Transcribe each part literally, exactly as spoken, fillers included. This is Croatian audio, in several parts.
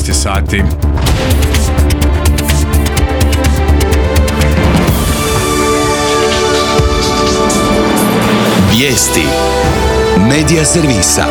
šesnaest sati. Vijesti Medija servisa.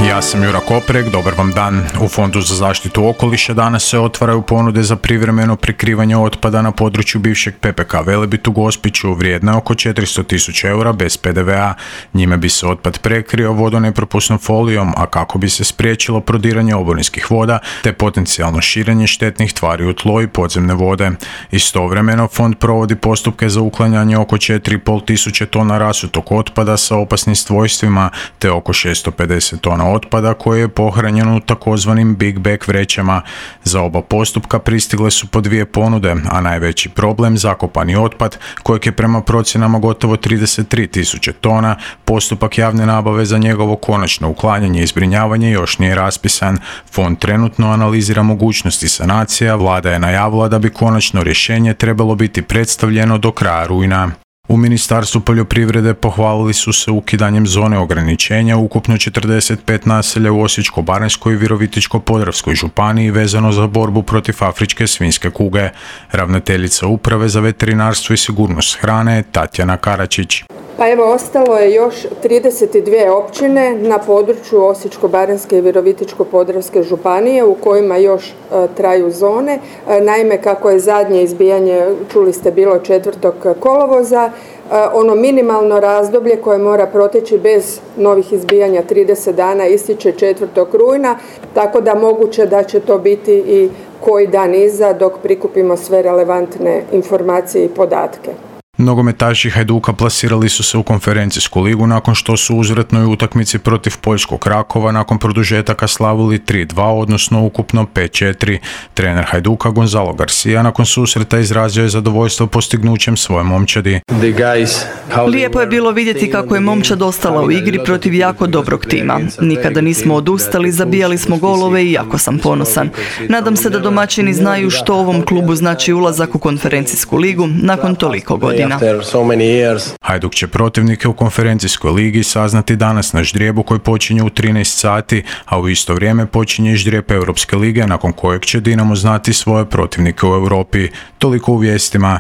Ja sam Jura Koprek, dobar vam dan. U Fondu za zaštitu okoliša danas se otvaraju ponude za privremeno prikrivanje otpada na području bivšeg P P K Velebit u Gospiću, vrijedna oko četiristo tisuća eura bez P D V A. Njime bi se otpad prekrio vodonepropusnom folijom, a kako bi se spriječilo prodiranje oborinskih voda te potencijalno širenje štetnih tvari u tlo i podzemne vode. Istovremeno, Fond provodi postupke za uklanjanje oko četiri i pol tisuće tona rasutog otpada sa opasnim svojstvima te oko šesto pedeset tona otpada koje je pohranjeno u takozvanim Big Bag vrećama. Za oba postupka pristigle su po dvije ponude, a najveći problem, zakopani otpad, kojeg je prema procjenama gotovo trideset tri tisuće tona, postupak javne nabave za njegovo konačno uklanjanje i zbrinjavanje još nije raspisan. Fond trenutno analizira mogućnosti sanacija, vlada je najavila da bi konačno rješenje trebalo biti predstavljeno do kraja rujna. U Ministarstvu poljoprivrede pohvalili su se ukidanjem zone ograničenja ukupno četrdeset pet naselja u Osječko-baranjskoj i Virovitičko-podravskoj županiji vezano za borbu protiv afričke svinjske kuge. Ravnateljica Uprave za veterinarstvo i sigurnost hrane Tatjana Karačić. Pa evo, ostalo je još trideset dvije općine na području Osječko-baranjske i Virovitičko-podravske županije u kojima još e, traju zone. E, naime, kako je zadnje izbijanje, čuli ste, bilo četvrtog kolovoza, e, ono minimalno razdoblje koje mora proteći bez novih izbijanja trideset dana ističe četvrtog rujna, tako da moguće da će to biti i koji dan iza dok prikupimo sve relevantne informacije i podatke. Nogometaši Hajduka plasirali su se u konferencijsku ligu nakon što su u uzvratnoj utakmici protiv poljskog Rakova nakon produžetaka slavili tri dva, odnosno ukupno pet četiri. Trener Hajduka Gonzalo Garcia nakon susreta izrazio je zadovoljstvo postignućem svoje momčadi. Lijepo je bilo vidjeti kako je momčad ostala u igri protiv jako dobrog tima. Nikada nismo odustali, zabijali smo golove i jako sam ponosan. Nadam se da domaćini znaju što ovom klubu znači ulazak u konferencijsku ligu nakon toliko godina. Hajduk će protivnike u konferencijskoj ligi saznati danas na ždrijebu koji počinje u trinaest sati, a u isto vrijeme počinje ždrijeb Europske lige nakon kojeg će Dinamo znati svoje protivnike u Europi. Toliko u vijestima.